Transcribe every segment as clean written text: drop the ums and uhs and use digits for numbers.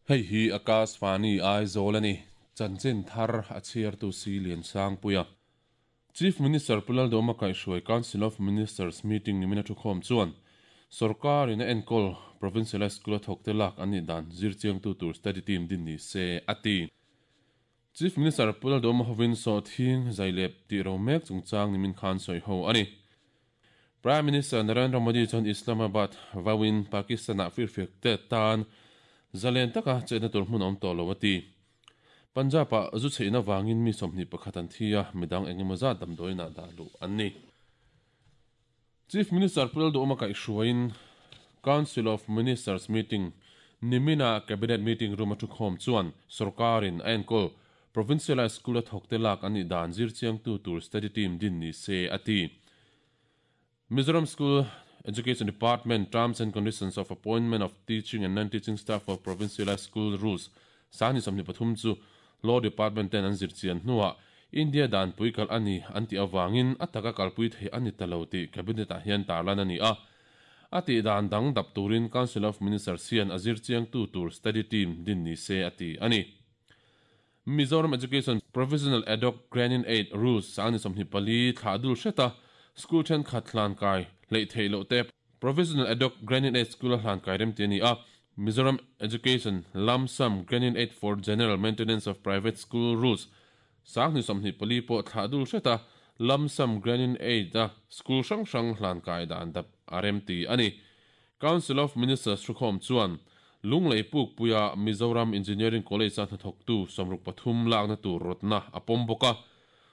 Hei hi Akashvani Aizawl a ni. Chanchin thar a chhiartu si Liansangpuia. Chief Minister Pu Lalduhoma kaihhruai Council of Ministers meeting nimina thukhawm chuan Sawrkar in a enkawl Provincialised School a thawkte lak an nih dan zirchiangtu tur study team din ni se a ti. Chief Minister Pu Lalduhoma hovin sawhthing zailep tih ro mek chungchang nimin khan sawi ho a ni. Prime Minister Narendra Modi chuan Islamabad vauin Pakistan-ah firfiak te tan zalen taka chetna tur hmun a awm tawh lo a ti. Punjab-ah zu chheihna vangin mi 21 an thi a, midang eng emaw zat damdawiinah dah luh an ni. Chief Minister Pu Lalduhoma kaihhruaiin Council of Ministers meeting nimina Cabinet meeting room a thukhawm chuan sawrkarin a enkawl Provincialised School a thawkte lak an nih dan zirchiangtu tur study team din ni se a ti. Mizoram School Education Department Terms and Conditions of Appointment of Teaching and Non-Teaching Staff for Provincialised School Rules 2023 chu Law Department ten an zirchian hnuah India danpui kalh a ni an tih avangin a taka kalpui theih a ni ta lo tih Cabinet-ah hian tarlan a ni a. A tih dan dang dap turin Council of Ministers hian a zirchiangtu tur study team din ni se a ti a ni. Mizoram Education Provisional Ad Hoc Grant-in Aid Rules 2024 thlah dul hreta school thenkhat hlankai hleih theih loh te Provisional Ad Hoc Grant-in Aid School-a hlankai rem ti a ni a. Mizoram Education Lump Sum Grant-in Aid for General Maintenance of Private School Rules 2024 pawh thlah dul hreta Lump Sum Grant-in Aid-a school hrang hrang hlankai dan dap a rem ti a ni. Council of Ministers thukhawm chuan Lunglei Pukpuia Mizoram Engineering College-a hnathawktu 63 lakna tur rawtna a pawm bawk a.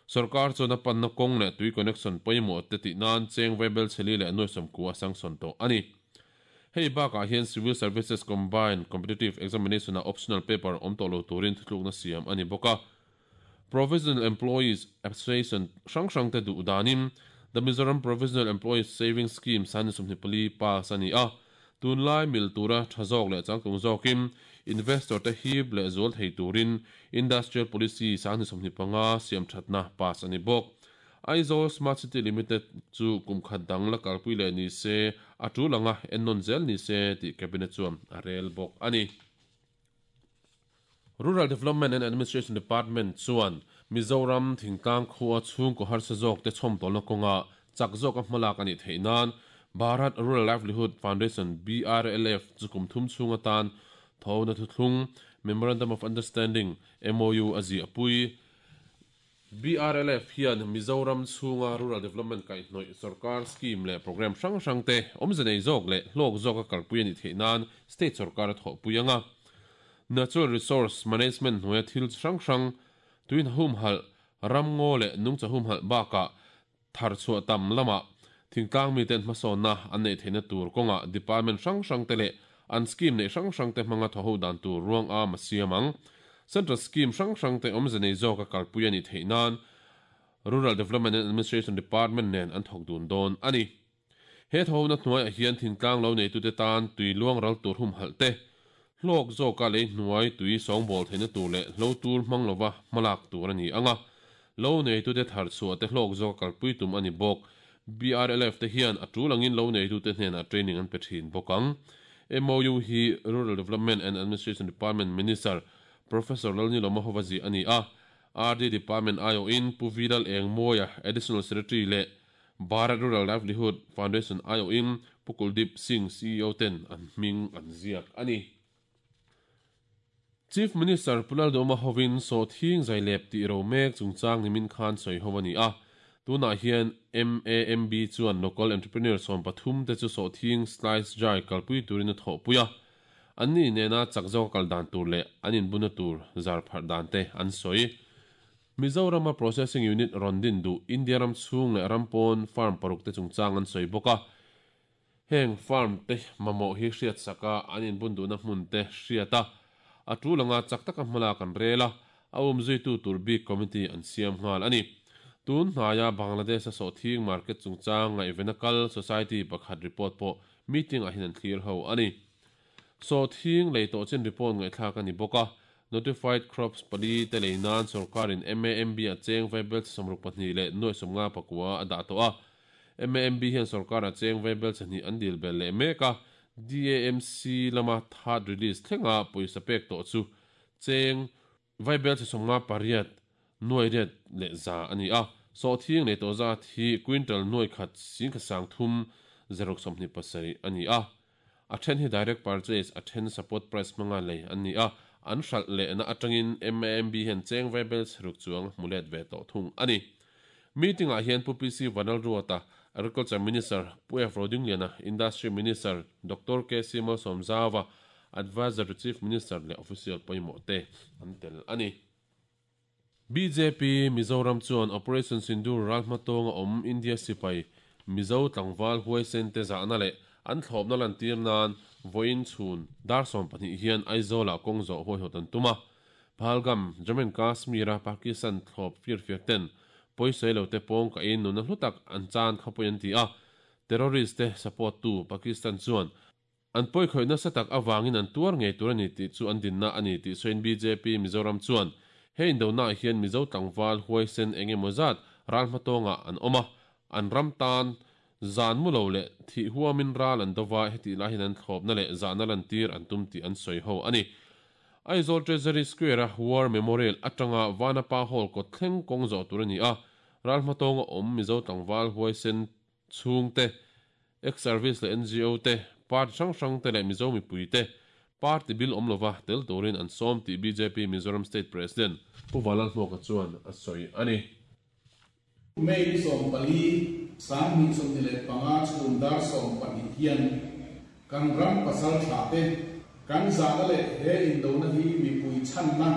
Sorkar chuan a panna kawng leh tui connection pawimawh te tih nan cheng vaibel chheli leh nuai sawmkua a sanction tawh a ni. Hei bakah hian Civil Services Combined Competitive Examination-a optional paper awm tawh lo turin thutlukna siam a ni bawk a. Provisional Employees Association hrang hrangte duh danin The Mizoram Provisional Employees Savings Scheme 2024 pass a ni a. Tunlai mil tura tha zawk leh changtlung zawkin investor te hip leh zual thei turin Industrial Policy 2025 siam thatna pass a ni bawk. Aizawl Smart City Limited chu kum khat dang la kalpui leh ni se a tul anga ennawn zel ni se tih Cabinet chuan a rel bawk a ni. Rural Development and Administration Department chuan Mizoram thingtlang khua chhungkaw harsa zawk te chhawmtawlna kawnga chak zawka hmalak a nih theih nan Bharat Rural Livelihood Foundation, BRLF, chu kum thum chhung atan thawhna thuthlung, Memorandum of Understanding, MOU, a ziahpui. BRLF hian Mizoram chhunga Rural Development kaihhnawih sawrkar scheme leh programme hrang hrang te awmze nei zawk leh hlawk zawka kalpui a nih theih nan state sawrkar a thawhpui ang a. Natural Resource Management hnuaia thil chi hrang hrang, tuin humhalh, ramngaw leh nungcha humhalh bakah thar chhuah tam lamah thingtlang miten hmasawnna an neih theihna tur kawngah department hrang hrang te leh an scheme neih hrang hrang te hmanga thawho dan tur ruang am a siam ang. Central scheme hrang hrang te awmze nei zawka kalpui a nih theih nan Rural Development and Administration Department nen an thawk dun dawn a ni. He thawhna hnuaiah hian thingtlang lo neitute tan tui luang ral tur humhalh te, hlawk zawka lei hnuai tui sawngbawl theihna tur leh hlo tur hmang lova hmalak tur a ni ang a. Lo neitute thar chhuah te hlawk zawka kalpui tum a ni bawk. BRLF te hian a tul angin lo neitute hnenah training an pe thin bawk ang. MOU hi Rural Development and Administration Department Minister Professor Lalnilawma hova ziah a ni a. RD Department aiawhin Pu V Lal Engmawia, Additional Secretary leh Bharat Rural Livelihood Foundation aiawhin Pu Kuldeep Singh, CEO ten an hming an ziak a ni. Chief Minister Pu Lalduhoma hovin sawhthing zailep tih ro mek chungchang nimin khan sawi ho a ni a. Tunah hian MAMB chuan local entrepreneur 13 te chu sawhthing slice dry kalpui turin a thawhpui a. Anni nena chak zawka kal dan tur leh an inbuna tur zar pharh dan te an sawi. Mizorama processing unit rawn din duh India ram chhung leh ram pawn farm paruk te chungchang an sawi bawk a. Heng farm te mamawh hi hriat saka an inbun duhna hmun te hriat a, a tul anga chak taka hmalak an rel a, a umzuitu tur bik committee an siam nghal a ni. Tun hnaia Bangladesh-a sawhthing market chungchang ngaihvena kal society pakhat report pawh meeting-ah hian an thlir ho a ni. Sawhthing lei tawh chin report ngaihthlak a ni bawk a, Notified Crops pali te lei nan sawrkarin MAMB a cheng vaibel chi 62 leh nuai 59 a dah tawh a. MAMB hian sawrkara cheng vaibel chi hnih an dil belh leh mek a, DAMC lama third release thlenga pawisa pek tawh chu cheng vaibelchhe 58 nuai riat leh za a ni a. Sawhthing lei tawh zat hi quintal nuai khat singkhat sang thum zaruk 27 a ni a. A then hi direct purchase, a then support price hmanga lei an ni a. An hralh lehna atangin MAMB hian cheng vaibelchhe ruk chuang hmu let ve tawh thung a ni. Meeting-ah hian Pu PC Vanlalruata, Agriculture Minister, Pu F Rodingliana, Industry Minister, Doctor KC Malsawmzauva, Adviser to Chief Minister leh official pawimawh te an tel a ni. Bjp Mizoram chuan Operation Sindoor ral hmatawnga awm India sipai Mizo tlangval huaisen te zahna leh an thlawpna lantir nan vawiin chhun dar 12 hian Aizawl-ah kawng zawh huaihawt an tum a. Pahalgam, Jammu and Kashmir-a Pakistan thlawp firfiak ten pawisawi lo te pawng kahin nunna hlu tak an chan kha pawi an ti a. Terrorist te support tu Pakistan chuan an pawikhawih nasa tak avangin an tuar ngei tur a ni tih chu an dinna a ni tih sawiin bjp Mizoram chuan he indonaah hian Mizo tlangval huaisen eng emaw zat ral hmatawngah an awm a, an ram tan zan mu lo leh thih huamin ral an dova hetih lai hian an thlawpna leh zahna lantir an tum tih an sawi ho a ni. Aizawl Treasury Square-a War Memorial atanga Vanapa Hall kawt thleng kawng zawh tur a ni a, ral hmatawnga awm Mizo tlangval huaisen chhungte, ex-service leh ngo te, party hrang hrang te leh Mizo mipui te party bil awm lova tel turin an sawm tih bjp Mizoram State President Pu Vanlalhmuaka chuan a sawi a ni. May ni 14, 2025 chhun dar 12 hian kan ram pasal tha te kan zahna leh he indona hi mipui chhanna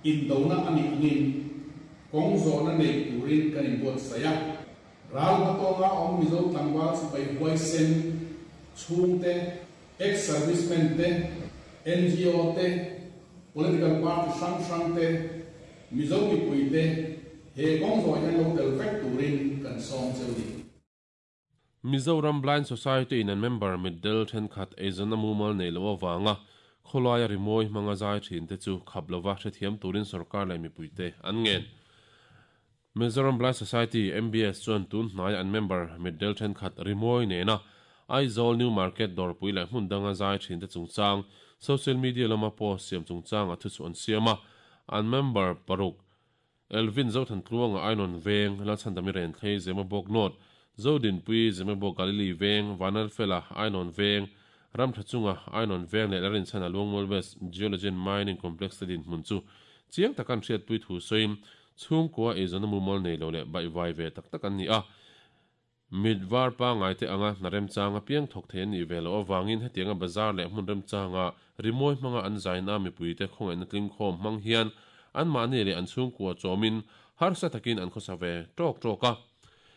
indona a nih angin kawng zawhna nei turin kan inbuatsaih a. Ral hmatawnga awm Mizo tlangval sipai huaisen chhungte, ex-servicemen te, ngo te, political party hrang hrang te, Mizo mipui te he kawng zawh hian lo tel vek turin kan sawm cheu ni. Mizoram Blind Society in an member mitdel thenkhat eizawnna mumal nei loh avanga khawlaia rimawi hmanga zai thin te chu khap lova hrethiam turin sorkar leh mipuite an ngen. Mizoram Blind Society, MBS, chuan tun hnaia an member mitdel thenkhat rimawi nena Aizawl New Market dawrpui leh hmun danga zai thin te chungchang social media lama post siam chungchanga thuchhuah an siam a, an member paruk Elvin Zothantluanga Ainawn Veng, Lalchhandami Renthlei Zemabawk North, Zodinpui Zemabawk Galili Veng, Vanlalfela Ainawn Veng, Ramthachunga Ainawn Veng leh Larinchhana Luangmual West Geology and Mining Complex te dinhmun chu chiang taka an hriatpui thu sawiin chhungkua eizawnna mumal nei lo leh baihvai ve tak tak an ni a. Mit var pangngai te anga hna remchang apiang thawk thei an nih ve loh avangin hetianga bazar leh hmun remchanga rimawi hmanga an zaina mipuite khawngaihna tlingkhawm hmang hian anmahni leh an chhungkua chawmin harsa takin an khawsa ve tawk tawk a.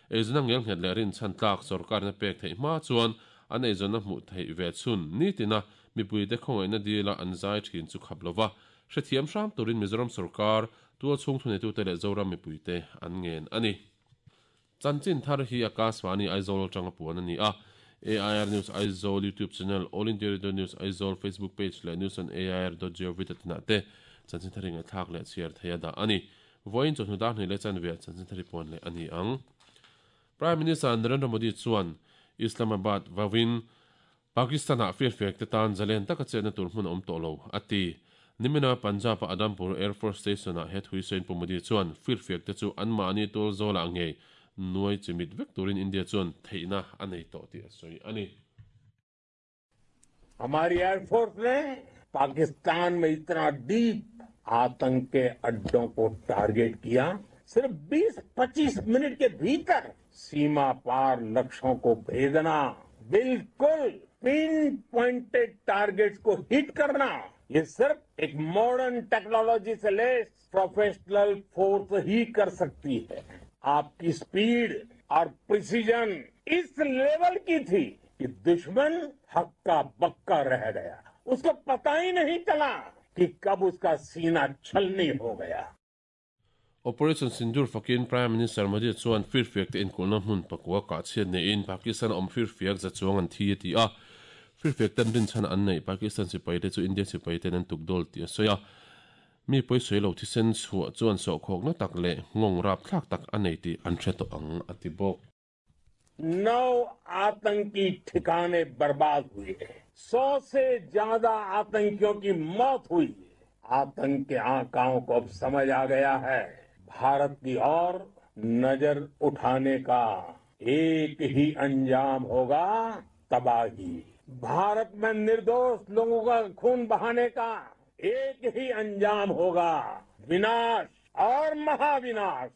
Eizawnna ngelnghet leh rinchhan tlak sorkarina pek theih hma chuan an eizawnna hmuh theih ve chhun nitina mipuite khawngaihna dila an zai thin chu khap lova hrethiam hram turin Mizoram sorkar, tualchhung thuneitute leh Zoram mipuite an ngen a ni. Chanchin thar hi Akashvani Aizawl atanga puan a ni a, AIR News Aizawl YouTube channel, All India Radio News Aizawl Facebook page leh news on air dot gov dot in ah te chanchin thar hi ngaihthlak leh chhiar thei a dah a ni. Vawiin chawhnu dar hnih leh chanve ah chanchin thar hi puan leh a ni ang. Prime Minister Narendra Modi chuan Islamabad vawin Pakistan-ah firfiak te tan zalen taka chetna tur hmun a awm tawh lo, a ti. Nimina Punjab-a Adampur Air Force Station-ah he thui sawiin Pu Modi chuan firfiak te chu anmahni tual zawlah ngei nuai chimit vek turin India chuan theihna a nei tawh tih a sawi a ni. Hamari Air Force ne Pakistan mein itna deep aatank ke addon ko target kiya, sirf 20-25 minute ke bhitar seema paar lakshyon ko bhedna, bilkul pin pointed targets ko hit karna, ye sirf ek modern technology se lace professional force hi kar sakti hai. Aapki speed aur precision is level ki thi ki dushman hakka bakka reh gaya, usko pata hi nahi chala ki kab uska seena chhalni ho gaya. Operation Sindoor fakin Prime Minister Modi chuan firfiak te inkulhna hmun pakua kah chhiat neiin Pakistan a awm firfiak za chuang an thi a ti a. Firfiak ten rinchhan an neih Pakistan sipai te chu India sipai ten an tukdawl tih a sawi a. Mi pawisawi lo thisen chhuah chuan sawhkhawkna tak leh nghawng rapthlak tak a nei tih an hre tawh ang a ti bawk. नौ आतंकी ठिकाने बर्बाद हुए, 100 से ज्यादा आतंकियों की मौत हुई। आतंक के आकाओं को अब समझ आ गया है, भारत की ओर नजर उठाने का एक ही अंजाम होगा, तबाही। भारत में निर्दोष लोगों का खून बहाने का एक ही अंजाम होगा, विनाश और महाविनाश।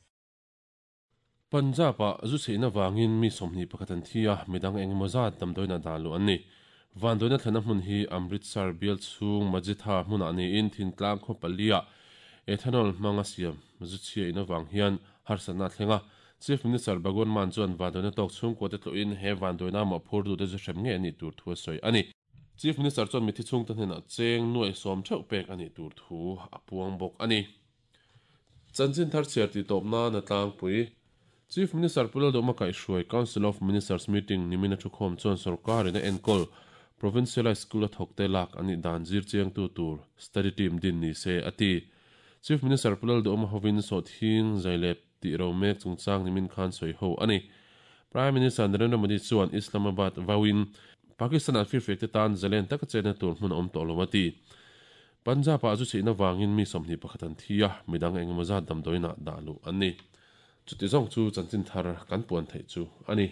Punjab-ah zu chheihna vangin mi 21 an thi a, midang engemaw zat damdawiin a dah luh an ni. Vandawiina thlenna hmun hi Amritsar bial chhung Majitha hmunah niin thingtlang khaw paliah ethanol hmanga siam zu chhia in avang hian harsatna a thleng a. Chief Minister Bhagwant Mann chuan vandawiina tawk chhungkuate tlawhin he vandawiina mawhphurtute zu hrem ngei a nih tur thu a sawi a ni. Chief Minister chuan mithi chhungte hnenah cheng nuai sawm theuh pek a nih tur thu a puang bawk a ni. Chanchin thar chhiar tih tawp nan a tlangpui. Chief Minister Pu Lalduhma kaihhruai Council of Ministers meeting nimin a thukhawm chuan sorkarin a enkawl Provincialised School a thawkte lak an nih dan zir chiangtu tur study team din ni se a ti. Chief Minister Pu Lalduhma hovin sawhthing zailep tih ro mek chungchang nimin khan sawi ho a ni. Prime Minister Narendra Modi chuan Islamabad vauin Pakistan-ah firfiakte tan zalen taka chenna tur hmun a awm tawh lo a ti. Punjab-ah zu chheihna vangin mi 21 an thi a, midang engemaw zat damdawiinah dah luh an ni. Chuti zawng chu chanchin thar kan puan theih chu a ni.